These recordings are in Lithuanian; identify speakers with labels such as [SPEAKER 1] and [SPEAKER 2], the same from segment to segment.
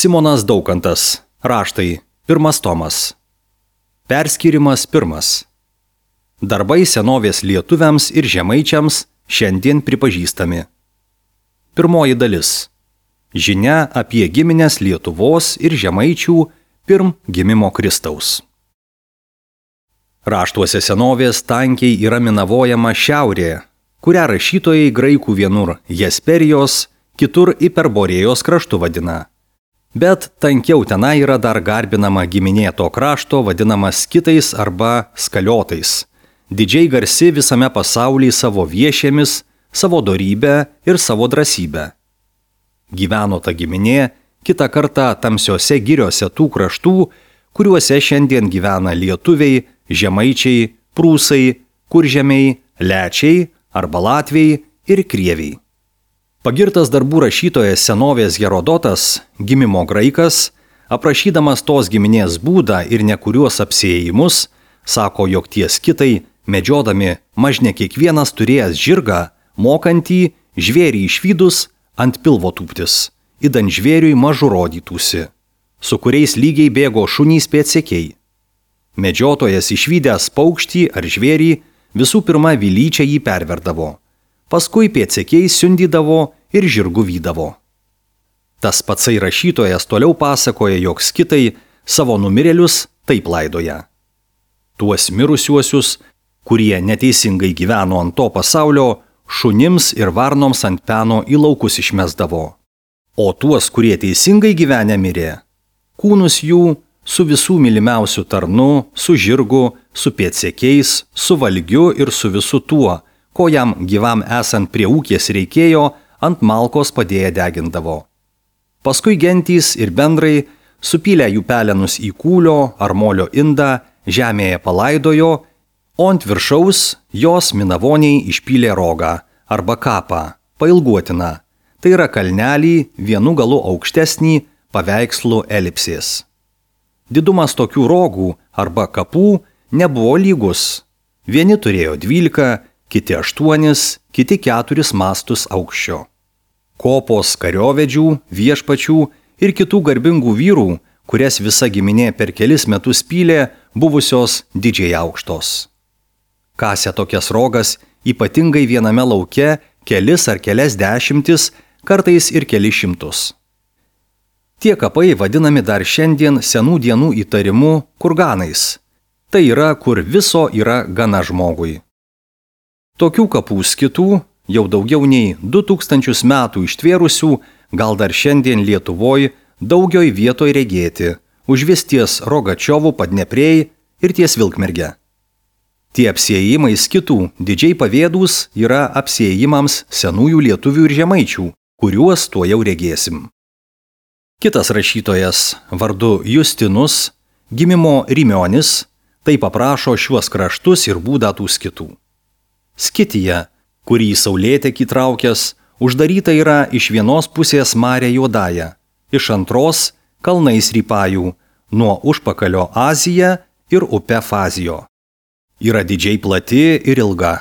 [SPEAKER 1] Simonas Daukantas. Raštai. 1 tomas. Perskyrimas 1. Darbai senovės lietuviams ir žemaičiams šiandien pripažįstami. 1 dalis. Žinia apie giminės Lietuvos ir žemaičių pirm gimimo Kristaus. Raštuose senovės tankiai yra minavojama šiaurė, kurią rašytojai graikų vienur Hesperijos, kitur Iperborėjos kraštu vadina. Bet tankiau tenai yra dar garbinama giminė to krašto vadinama skitais arba skaliotais, didžiai garsi visame pasaulyje savo viešėmis, savo dorybę ir savo drąsybę. Gyveno ta giminė kitą kartą tamsiose giriose tų kraštų, kuriuose šiandien gyvena lietuviai, žemaičiai, prūsai, kuržemiai, lečiai arba latviai ir krieviai. Pagirtas darbų rašytojas senovės Herodotas, gimimo graikas, aprašydamas tos giminės būdą ir nekuriuos apsiėjimus, sako, jog tie skitai, medžiodami mažne kiekvienas turėjęs žirgą, mokantį žvėrį išvydus ant pilvo tūptis, idant žvėriui mažu rodytųsi, su kuriais lygiai bėgo šunys pėdsekiai. Medžiotojas išvydęs paukštį ar žvėrį visų pirma vilyčia jį perverdavo, paskui pėdsekiai siundydavo ir žirgu vydavo. Tas patsai rašytojas toliau pasakoja, jog skitai savo numirėlius taip laidoja. Tuos mirusiuosius, kurie neteisingai gyveno ant to pasaulio, šunims ir varnoms ant peno į laukus išmesdavo. O tuos, kurie teisingai gyvenę mirė, kūnus jų su visų mylimiausių tarnu, su žirgu, su pėdsekiais, su valgiu ir su visu tuo, ko jam gyvam esant prie ūkės reikėjo, ant malkos padėję degindavo. Paskui gentys ir bendrai supylę jų pelenus į kūlio ar molio indą, žemėje palaidojo, o ant viršaus jos minavoniai išpylė rogą arba kapą, pailguotiną, tai yra kalnelį vienu galu aukštesnį paveikslų elipsės. Didumas tokių rogų arba kapų nebuvo lygus. Vieni turėjo 12, kiti 8, kiti 4 mastus aukščio. Kopos kariovedžių, viešpačių ir kitų garbingų vyrų, kurias visa giminė per kelis metus pylė, buvusios didžiai aukštos. Kasė tokias rogas ypatingai viename lauke kelis ar kelias dešimtis, kartais ir kelis šimtus. Tie kapai vadinami dar šiandien senų dienų įtarimu kurganais. Tai yra, kur viso yra gana žmogui. Tokių kapų skitų, jau daugiau nei 2000 metų ištvėrusių, gal dar šiandien Lietuvoj daugioj vietoj regėti, užvis ties Rogačiovų Padneprėj ir ties Vilkmerge. Tie apsiėjimai skitų didžiai pavėdūs yra apsiėjimams senųjų lietuvių ir žemaičių, kuriuos tuo jau regėsim. Kitas rašytojas vardu Justinus, gimimo Rimionis, taip aprašo šiuos kraštus ir būdą tų skitų. Skitija, kurį saulėtekį traukęs, uždaryta yra iš vienos pusės Mare Juodąja, iš antros kalnais Rypajų, nuo užpakalio Azija ir upe Fazijo. Yra didžiai plati ir ilga.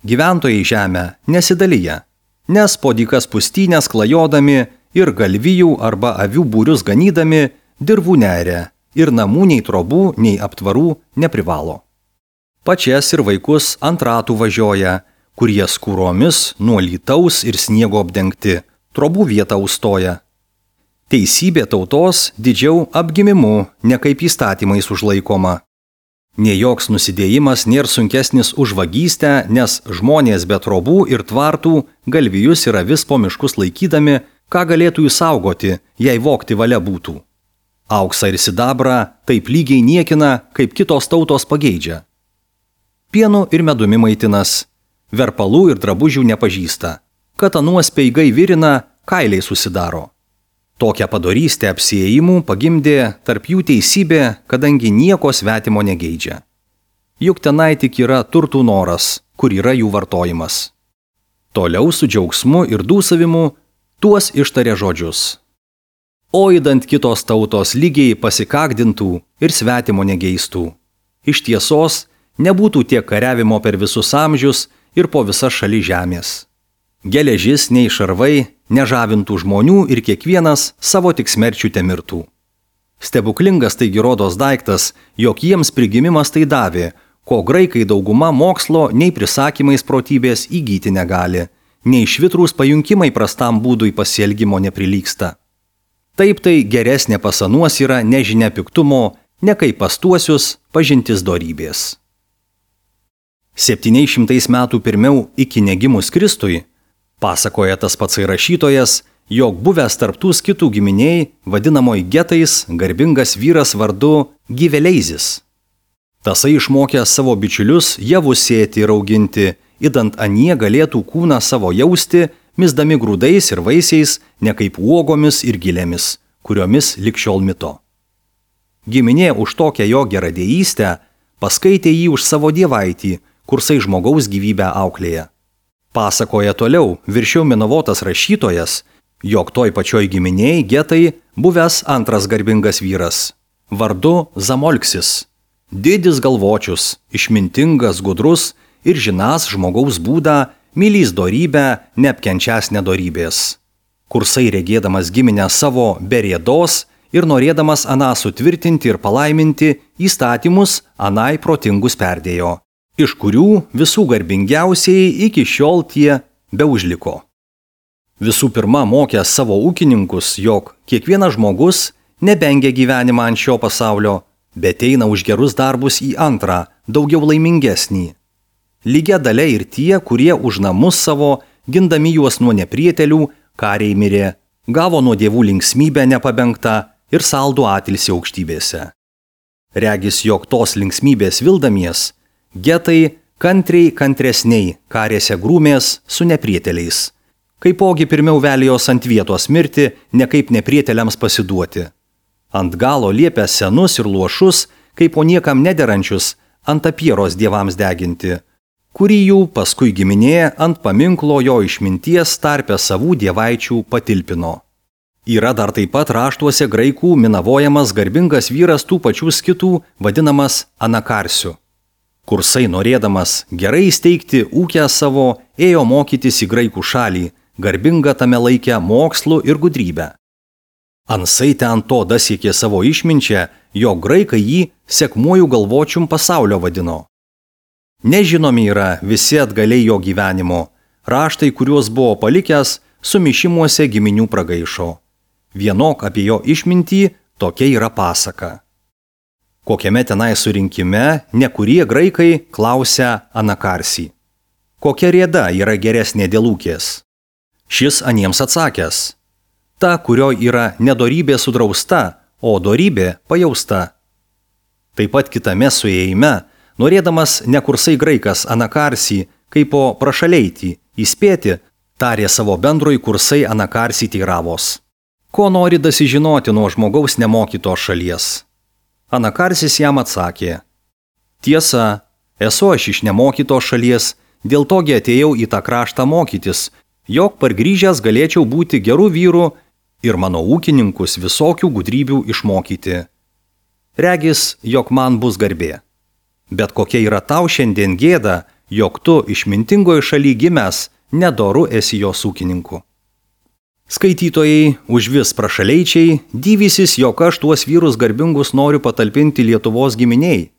[SPEAKER 1] Gyventojai žemę nesidalyja, nes po dykas pustynės klajodami ir galvijų arba avių būrius ganydami dirvų neria ir namų nei trobų, nei aptvarų neprivalo. Pačias ir vaikus ant ratų važioja, kurie skūromis nuo lytaus ir sniego apdengti, trobų vietą užstoja. Teisybė tautos didžiau apgimimu, ne kaip įstatymais užlaikoma. Nė joks nusidėjimas nėra sunkesnis už vagystę, nes žmonės be trobų ir tvartų galvijus ir avis po miškus laikydami, ką galėtų jų saugoti, jei vogti valia būtų. Auksą ir sidabrą taip lygiai niekina, kaip kitos tautos pageidžia. Pienu ir medumi maitinas, verpalų ir drabužių nepažįsta, katanų speigai virina, kailiai susidaro. Tokią padorystę apsiėjimų pagimdė tarp jų teisybė, kadangi nieko svetimo negeidžia. Juk tenai tik yra turtų noras, kur yra jų vartojimas. Toliau su džiaugsmu ir dūsavimu tuos ištarė žodžius. O įdant kitos tautos lygiai pasikakdintų ir svetimo negeistų. Iš tiesos nebūtų tiek kariavimo per visus amžius ir po visas šalis žemės. Geležis nei šarvai nežavintų žmonių ir kiekvienas savo tik smerčių temirtų. Stebuklingas taigi rodos daiktas, jog jiems prigimimas tai davė, ko graikai dauguma mokslo nei prisakymais protybės įgyti negali, nei švitrūs pajunkimai prastam būdui pasielgimo neprilygsta. Taip tai geresnė pasanuos yra nežinia piktumo, ne kaip pastuosius pažintis dorybės. 700 metų pirmiau iki negimus Kristui, pasakoja tas pats rašytojas, jog buvęs tarptų skitų giminiai, vadinamoj getais, garbingas vyras vardu Giveleizis. Tasai išmokęs savo bičiulius javus sėti ir auginti, idant anie galėtų kūną savo jausti, misdami grūdais ir vaisiais, ne kaip uogomis ir gilėmis, kuriomis likščiol mito. Giminė už tokią jo geradėjystę paskaitė jį už savo dievaitį, kursai žmogaus gyvybę auklėje. Pasakoja toliau viršiau minavotas rašytojas, jog toj pačioj giminėj getai buvęs antras garbingas vyras, vardu Zamolksis, didis galvočius, išmintingas, gudrus ir žinąs žmogaus būdą, mylys dorybę, neapkenčias nedorybės. Kursai regėdamas giminę savo be rėdos ir norėdamas aną sutvirtinti ir palaiminti, įstatymus anai protingus perdėjo, iš kurių visų garbingiausiai iki šiol tie beužliko. Visų pirma, mokęs savo ūkininkus, jog kiekvienas žmogus nebengia gyvenimą ant šio pasaulio, bet eina už gerus darbus į antrą, daugiau laimingesnį. Lygia dalia ir tie, kurie už namus savo, gindami juos nuo neprietelių, kariai mirė, gavo nuo dievų linksmybę nepabengtą ir saldų atilsį aukštybėse. Regis, jog tos linksmybės vildamies, getai kantriai kantresniai karėse grūmės su neprieteliais. Kaipogi pirmiau velijos ant vietos mirti, ne kaip neprieteliams pasiduoti. Ant galo liepė senus ir luošus, kaip po niekam nederančius, ant apieros dievams deginti, kurį jų paskui giminė ant paminklo jo išminties tarpe savų dievaičių patilpino. Yra dar taip pat raštuose graikų minavojamas garbingas vyras tų pačių skitų, vadinamas Anakarsiu. Kursai norėdamas gerai įsteigti ūkę savo, ėjo mokytis į graikų šalį, garbinga tame laikė mokslu ir gudrybę. Ansai ten to dasiekė savo išminčią, jog graikai jį sekmuoju galvočium pasaulio vadino. Nežinomi yra visi atgaliai jo gyvenimo, raštai, kuriuos buvo palikęs, sumišimuose giminių pragaišo. Vienok apie jo išmintį tokia yra pasaka. Kokiame tenai surinkime nekurie graikai klausia Anakarsį. Kokia rėda yra geresnė dėl ūkės? Šis aniems atsakęs. Ta, kurio yra nedorybė sudrausta, o dorybė pajausta. Taip pat kitame suėjime, norėdamas nekursai graikas Anakarsį, kaip po prašaleitį, įspėti, tarė savo bendroj kursai Anakarsį teiravos. Ko nori dasižinoti nuo žmogaus nemokytos šalies? Anakarsis jam atsakė. Tiesa, esu aš iš nemokytos šalies, dėl togi atėjau į tą kraštą mokytis, jog pargrįžęs galėčiau būti gerų vyrų ir mano ūkininkus visokių gudrybių išmokyti. Regis, jog man bus garbė. Bet kokia yra tau šiandien gėda, jog tu išmintingoje šaly gimęs, nedoru esi jos ūkininku. Skaitytojai, užvis prašaleičiai, dyvysis, jog aš tuos vyrus garbingus noriu patalpinti Lietuvos giminiai.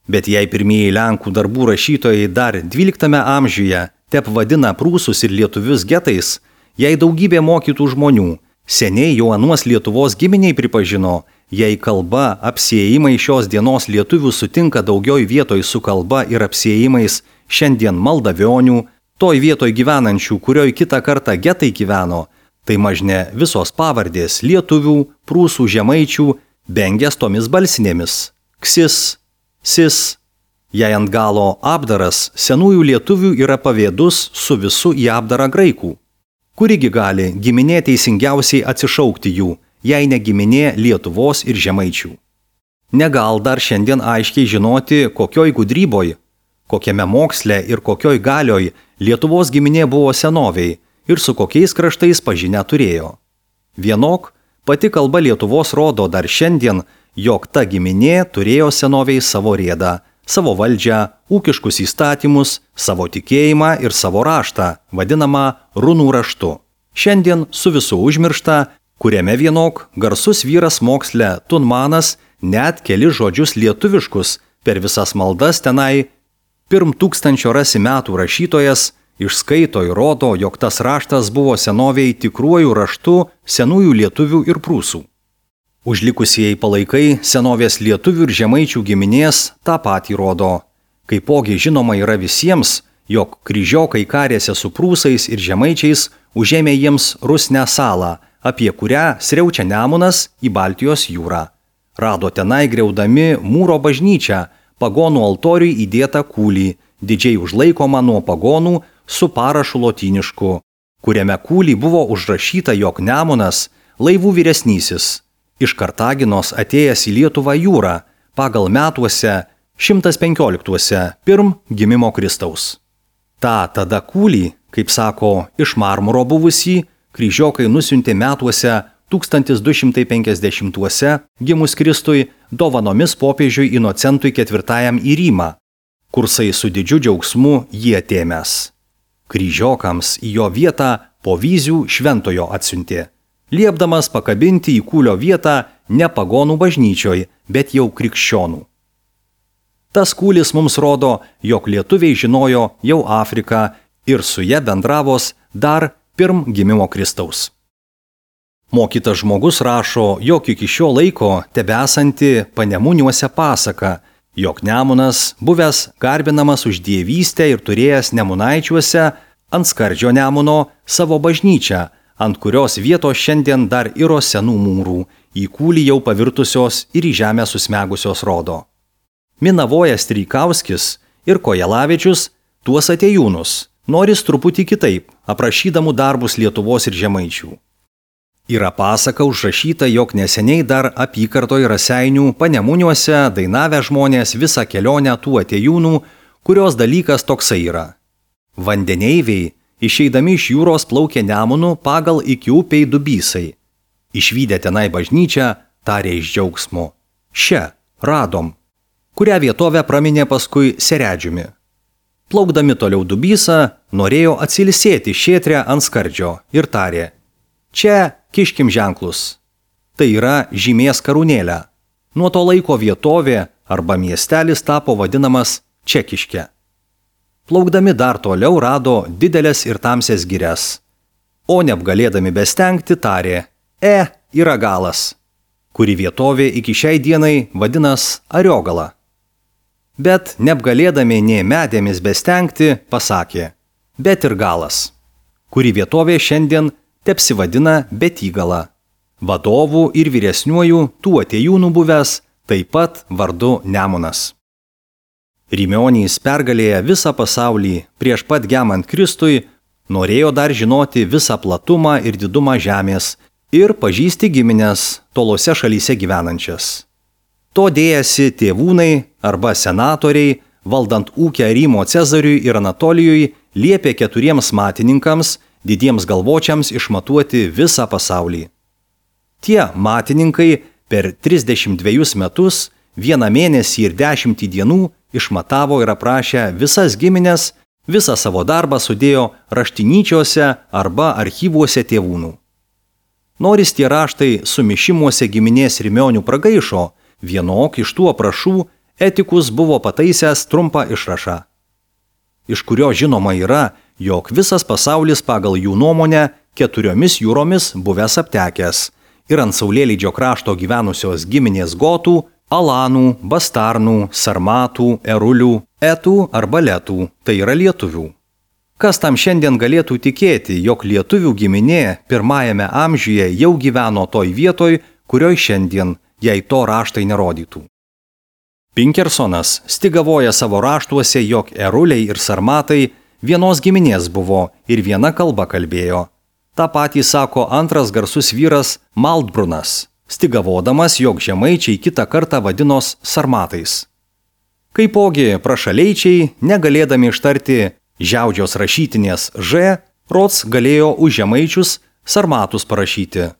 [SPEAKER 1] Bet jei pirmieji Lenkų darbų rašytojai dar 12 amžiuje tep vadina prūsus ir lietuvius getais, jei daugybė mokytų žmonių, seniai jau anuos Lietuvos giminiai pripažino, jei kalba apsiėjimai šios dienos lietuvių sutinka daugioj vietoj su kalba ir apsiėjimais šiandien maldavionių, toj vietoj gyvenančių, kurioj kitą kartą getai gyveno, tai mažne visos pavardės lietuvių, prūsų, žemaičių, bengės tomis balsinėmis – ksis, sis. Jei ant galo apdaras senųjų lietuvių yra pavėdus su visu į apdarą graikų. Kurigi gali giminė teisingiausiai atsišaukti jų, jei ne giminė Lietuvos ir žemaičių. Negal dar šiandien aiškiai žinoti, kokioj gudryboj, kokiame moksle ir kokioj galioj Lietuvos giminė buvo senoviai ir su kokiais kraštais pažinę turėjo. Vienok, pati kalba Lietuvos rodo dar šiandien, jog ta giminė turėjo senoviai savo rėdą, savo valdžią, ūkiškus įstatymus, savo tikėjimą ir savo raštą, vadinamą runų raštu. Šiandien su visu užmiršta, kuriame vienok garsus vyras moksle Tunmanas net keli žodžius lietuviškus per visas maldas tenai pirm 1000 rasi metų rašytojas išskaito ir rodo, jog tas raštas buvo senoviai tikruoju raštu senųjų lietuvių ir prūsų. Užlikusieji palaikai senovės lietuvių ir žemaičių giminės tą patį rodo. Kaipogi žinoma yra visiems, jog kryžiokai karėsi su prūsais ir žemaičiais užėmė jiems Rusnę salą, apie kurią sriaučia Nemunas į Baltijos jūrą. Rado tenai griaudami Mūro bažnyčią, pagonų altoriui įdėtą kūlį, didžiai užlaikomą nuo pagonų su parašu lotynišku, kuriame kūlį buvo užrašyta, jog Nemunas, laivų vyresnysis, iš Kartaginos atėjęs į Lietuvą jūrą, pagal metuose 115 pirm gimimo Kristaus. Ta tada kūlį, kaip sako, iš marmuro buvusį, kryžiokai nusiuntė metuose 1250 gimus Kristui dovanomis popiežiui Inocentui IV į Rymą, kursai su didžiu džiaugsmu jį atėmęs. Kryžiokams į jo vietą po Vyzių šventojo atsiuntė, liepdamas pakabinti į kūlio vietą ne pagonų bažnyčioj, bet jau krikščionų. Tas kūlis mums rodo, jog lietuviai žinojo jau Afriką ir su ja bendravos dar pirm gimimo Kristaus. Mokytas žmogus rašo, jog iki šio laiko tebesanti Panemuniuose pasaka, jog Nemunas, buvęs garbinamas už dievystę ir turėjęs Nemunaičiuose ant skardžio Nemuno savo bažnyčią, ant kurios vietos šiandien dar iro senų mūrų, į kūlį jau pavirtusios ir į žemę susmegusios rodo. Minavojas Streikauskis ir Kojelavičius tuos atėjūnus noris truputį kitaip, aprašydamų darbus Lietuvos ir žemaičių. Yra pasaka užrašyta, jog neseniai dar apykartoj Raseinių Panemuniuose dainavę žmonės visą kelionę tų atėjūnų, kurios dalykas toksai yra. Vandeneiviai, išeidami iš jūros plaukė Nemunu pagal iki upiai Dubysai. Išvydę tenai bažnyčią, tarė iš džiaugsmo: "Še, radom", kurią vietovę praminė paskui Seredžiumi. Plaukdami toliau Dubysą, norėjo atsilsėti šėtrę ant skardžio ir tarė: "Čia kiškim ženklus." Tai yra žymės karūnėlę. Nuo to laiko vietovė arba miestelis tapo vadinamas Čekiške. Plaukdami dar toliau rado didelės ir tamsias girias. O neapgalėdami bestengti tarė: "Yra galas", kuri vietovė iki šiai dienai vadinas Ariogala. Bet neapgalėdami nė medėmis bestengti pasakė: "Bet ir galas", kuri vietovė šiandien tepsivadina Betygala. Vadovų ir vyresniuojų tų atėjūnų buvęs taip pat vardu Nemunas. Rymionys pergalėję visą pasaulį prieš pat gemant Kristui, norėjo dar žinoti visą platumą ir didumą žemės ir pažįsti giminės tolose šalyse gyvenančias. To dėjasi tėvūnai arba senatoriai, valdant ūkę Rymo Cezariui ir Anatolijui, liepė 4 matininkams, didiems galvočiams išmatuoti visą pasaulį. Tie matininkai per 32 metus, 1 mėnesį ir 10 dienų išmatavo ir aprašė visas giminės, visą savo darbą sudėjo raštinyčiuose arba archyvuose tėvūnų. Noris tie raštai sumišimuose giminės Rymionių pragaišo, vienok iš tų aprašų Etikus buvo pataisęs trumpą išrašą, iš kurio žinoma yra, jog visas pasaulis pagal jų nuomonę 4 jūromis buvęs aptekęs ir ant saulėlydžio krašto gyvenusios giminės gotų, alanų, bastarnų, sarmatų, erulių, etų arba letų, tai yra lietuvių. Kas tam šiandien galėtų tikėti, jog lietuvių giminė 1 amžiuje jau gyveno toj vietoj, kurioj šiandien, jei to raštai nerodytų. Pinkersonas stigavoja savo raštuose, jog eruliai ir sarmatai vienos giminės buvo ir viena kalba kalbėjo. Ta patį sako antras garsus vyras Maldbrunas, stigavodamas, jog žemaičiai kitą kartą vadinos sarmatais. Kaipogi prašaleičiai, negalėdami ištarti žiaudžios rašytinės Ž, rods galėjo už žemaičius sarmatus parašyti.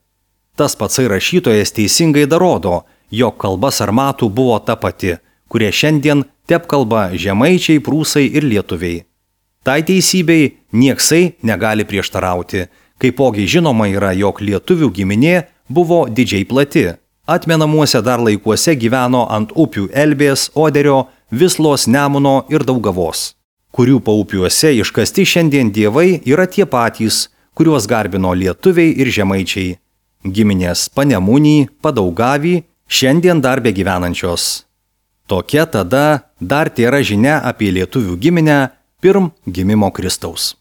[SPEAKER 1] Tas patsai rašytojas teisingai darodo, jog kalba sarmatų buvo ta pati, kurie šiandien tepkalba žemaičiai, prūsai ir lietuviai. Tai teisybei nieksai negali prieštarauti, Kaipogi žinoma yra, jog lietuvių giminė buvo didžiai plati. Atmenamuose dar laikuose gyveno ant upių Elbės, Oderio, Vislos, Nemuno ir Daugavos, kurių paupiuose iškasti šiandien dievai yra tie patys, kuriuos garbino lietuviai ir žemaičiai. Giminės Panemunį, Padaugavį, šiandien dar begyvenančios. Tokia tada dar tėra žinia apie lietuvių giminę pirm gimimo Kristaus.